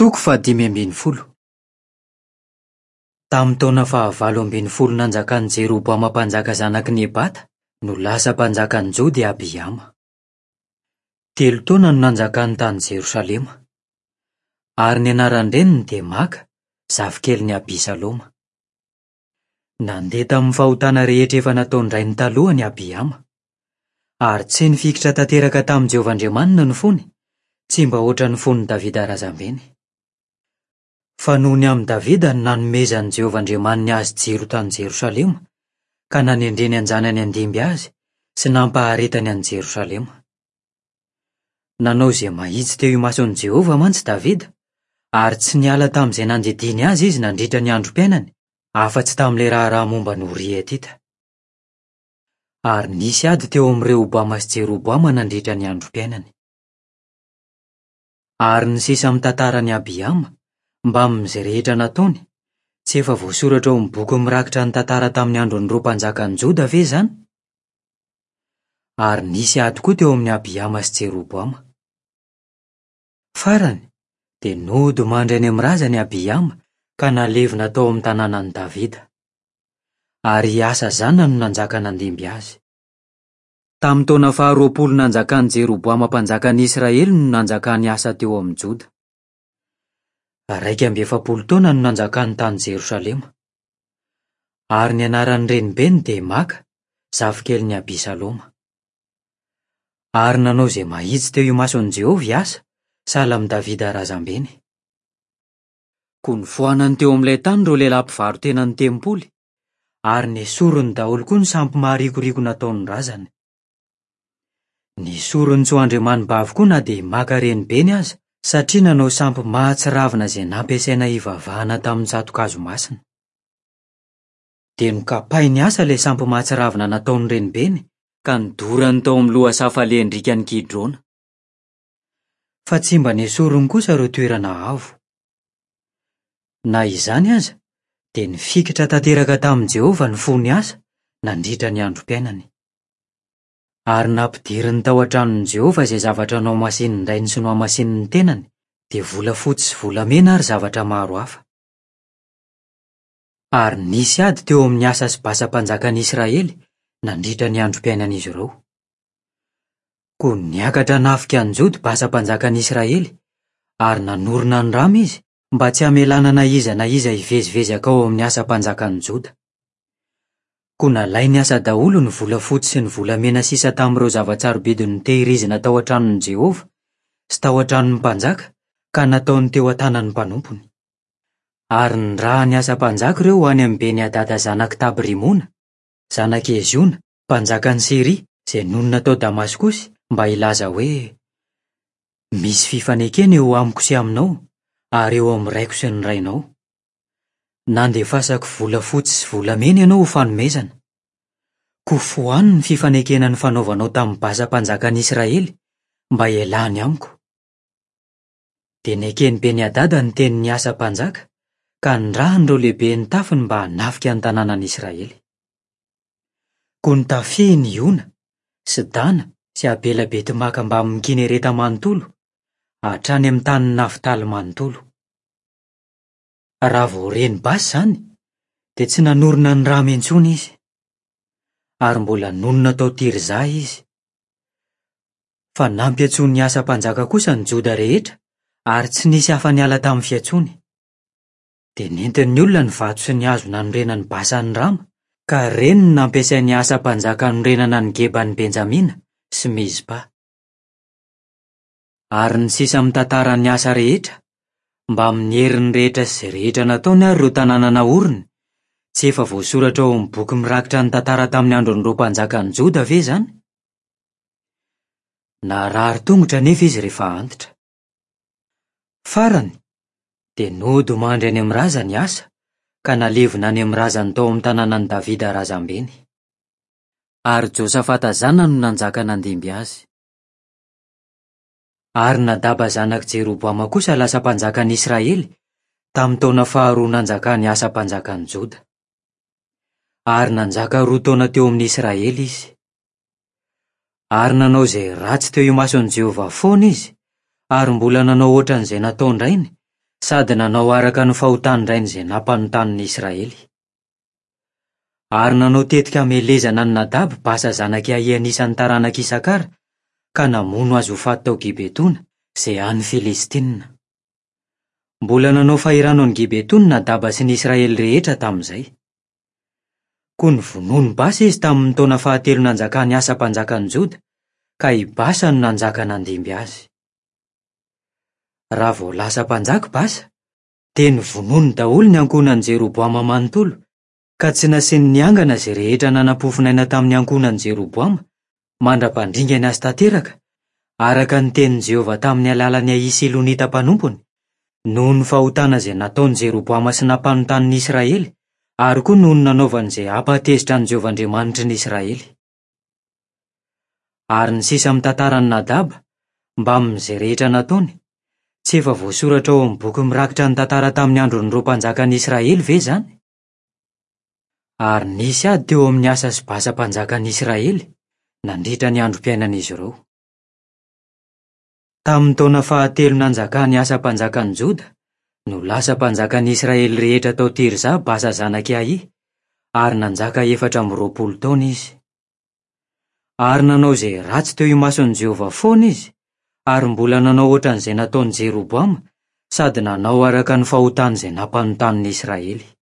Toko fahadimy ambin'ny folo. Tamin'ny taona fahavalo ambin'ny folo nanjakan'i Jeroboama mpanjaka zanak'i Nebata no lasa mpanjakan'i Joda i Abiama. 3 taona no nanjakany tany Jerosalema. Ary ny anaran-dreniny dia Maka, zafikelin'i Abisaloma. Nandeha tamin'ny fahotana rehetra efa nataon-drainy talohany i Abiama. Ary tsy nifikitra tanteraka tamin'i Jehovah Andriamaniny ny fony, tsy mba hoatran'ny fon'i Davida razambeny. Fa noho ny amin'i Davida no nanomezan'i Jehovah Andriamaniny azy jiro tany Jerosalema, ka nanendreny an-janany handimby azy sy nampaharetany an'i Jerosalema. Nanao izay mahitsy teo imason'i Jehovah mantsy Davida, ary tsy niala tamin'izay nandidiany azy izy nandritra ny androm-piainany, afa-tsy tamin'ilay raharaha momba an'i Oria Hetita. Ary nisy ady teo amin'i Rehoboama sy Jeroboama nandritra ny androm-piainany. Ary ny sisa amin'ny tantaran'i Abiama, mbamin'izay rehetra nataony, tsy efa voasoratra ao amin'ny boky mirakitra ny tantara tamin'ny andron'ireo mpanjakan'i Joda ve izany? Ary nisy ady koa teo amin'i Abiama sy Jeroboama. Farany, dia nody mandry any amin'ny razany Abiama ka nalevina tao amin'ny tanànan'i Davida. Ary i Asa zanany no nanjaka nandimby azy. Tamin'ny taona faharoapolo nanjakan'i Jeroboama mpanjakan'i Israely no nanjakan'i Asa teo amin'i Joda. 41 taona no nanjakany tany Jerosalema. Ary ny anaran'ny renibeny dia Maka, zafikelin'i Abisaloma. Ary nanao izay mahitsy teo imason'i Jehovah i Asa, sahala amin'i Davida razambeny. Koa nofoanany teo amin'ilay tany ireo lehilahy mpivaro-tenan'ny tempoly, ary nesoriny daholo koa ny sampy maharikoriko nataon'ny razany. Nesoriny tsy ho andriamanibavy koa na dia i Maka renibeny aza, satria nanao sampy mahatsiravina izay nampiasaina hivavahana tamin'ny tsato-kazo masina. Dia nokapain'i Asa ilay sampy mahatsiravina nataon'ny renibeny, ka nodorany tao amin'ny lohasaha falehan-driakan'i Kidrona. Fa tsy mba nesoriny kosa ireo toerana avo. Na izany aza, dia nifikitra tanteraka tamin'i Jehovah ny fon'i Asa nandritra ny androm-piainany. Ary nampidiriny tao an-tranon'i Jehovah izay zavatra nohamasinin'ny rainy sy nohamasinin'ny tenany, dia volafotsy sy volamena ary zavatra maro hafa. Ary nisy ady teo amin'i Asa sy Basa mpanjakan'i Israely nandritra ny androm-piainan'izy ireo. Koa niakatra hanafika an'i Joda Basa mpanjakan'i Israely, ary nanorina an'i Rama izy mba tsy hamelana na iza na iza hivezivezy hankao amin'i Asa mpanjakan'i Joda. Koa nalain'i Asa daholo ny volafotsy sy ny volamena sisa tamin'ireo zava-tsarobidy notehirizina tao an-tranon'i Jehovah sy tao an-tranon'ny mpanjaka, ka nataony teo an-tanan'ny mpanompony. Ary nirahan'i Asa mpanjaka ireo ho any amin'i Beni-hadada zanak'i Tabrimona, zanak'i Heziona, mpanjakan'i Syria, izay nonina tao Damaskosy, mba hilaza hoe, Misy fifanekena eo amiko sy aminao, ary eo amin'ny raiko sy ny rainao. Nandefasako volafotsy sy volamena ianao ho fanomezana. Koa fohano ny fifanekena nifanaovanao tamin'i Basa mpanjakan'i Israely, mba hialany amiko. Dia neken'i Beni-hadada ny tenin'i Asa mpanjaka, ka nirahiny ireo lehiben'ny tafiny mba hanafika ny tanànan'i Israely. Koa notafihiny i Iona, sy Dana, sy Abela-beti-maka mbamin'i Kinereta manontolo, hatrany amin'ny tanin'i Naftaly manontolo. Raha vao ren'i Basa izany, dia tsy nanorina an'i Rama intsony izy. Ary mbola nonina tao Tirza izy. Fa nampiantsoin'i Asa mpanjaka kosa ny Joda rehetra, ary tsy nisy afa-niala tamin'ny fiantsoany. Dia nentin'ny olona ny vato sy ny hazo nanorenan'i Basa an'i Rama, ka ireny no nampiasain'i Asa mpanjaka hanorenana an'i Geban'i Benjamina sy Mizpa. Ary ny sisa amin'ny tantaran'i Asa rehetra, mbamin'ny heriny rehetra sy izay rehetra nataony ary ireo tanàna naoriny, tsy efa voasoratra ao amin'ny boky mirakitra ny tantara tamin'ny andron'ireo mpanjakan'i Joda ve izany? Narary tongotra anefa izy rehefa antitra. Farany, dia nody mandry any amin'ny razany i Asa, ka nalevina any amin'ny razany tao amin'ny tanànan'i Davida razambeny. Ary Josafata zanany no nanjaka nandimby azy. Ary Nadaba zanak'i Jeroboama kosa lasa mpanjakan'i Israely, tamin'ny taona faharoa nanjakan'i Asa mpanjakan'i Joda. Ary nanjaka roa taona teo amin'ny Israely izy. Ary nanao izay ratsy teo imason'i Jehovah foana izy, ary mbola nanao hoatran'izay nataon-drainy, sady nanao araka ny fahotan-drainy izay nampanotany ny Israely. Ary nanao tetika hamelezana an'i Nadaba Basa zanak'i Ahia anisan'ny taranak'i Isakara, ka namono azy ho faty tao Gibetona, izay any Filistina. Mbola nanao fahirano an'i Gibetona Nadaba sy ny Israely rehetra tamin'izay. Koa novonoin'i Basa izy tamin'ny taona fahatelo nanjakan'i Asa mpanjakan'i Joda, ka i Basa no nanjaka nandimby azy. Raha vao lasa mpanjaka i Basa, dia novonoiny daholo ny ankohonan'i Jeroboama manontolo, ka tsy nasiany niangana izay rehetra nanam-pofonaina tamin'ny ankohonan'i Jeroboama, mandra-pandringany azy tanteraka, araka ny tenin'i Jehovah tamin'ny alalan'i Ahia Silonita mpanompony, noho ny fahotana izay nataon'i Jeroboama sy nampanontany ny Israely, ary koa noho ny nanaovany izay hampahatezitra an'i Jehovah Andriamanitry ny Israely. Ary ny sisa amin'ny tantaran'i Nadaba, mbamin'izay rehetra nataony, tsy efa voasoratra ao amin'ny boky mirakitra ny tantara tamin'ny andron'ireo mpanjakan'ny Israely ve izany? Ary nisy ady teo amin'i Asa sy Basa mpanjakan'ny Israely, nandritra ny androm-piainan'izy ireo. Tamin'ny taona fahatelo nanjakan'i Asa mpanjakan'i Joda, no lasa mpanjakan'ny Israely rehetra tao Tirza Basa zanak'i Ahia, ary nanjaka 24 taona izy. Ary nanao izay ratsy teo imason'i Jehovah foana izy, ary mbola nanao hoatran'izay nataon'i Jeroboama, sady nanao araka ny fahotany izay nampanontany ny Israely.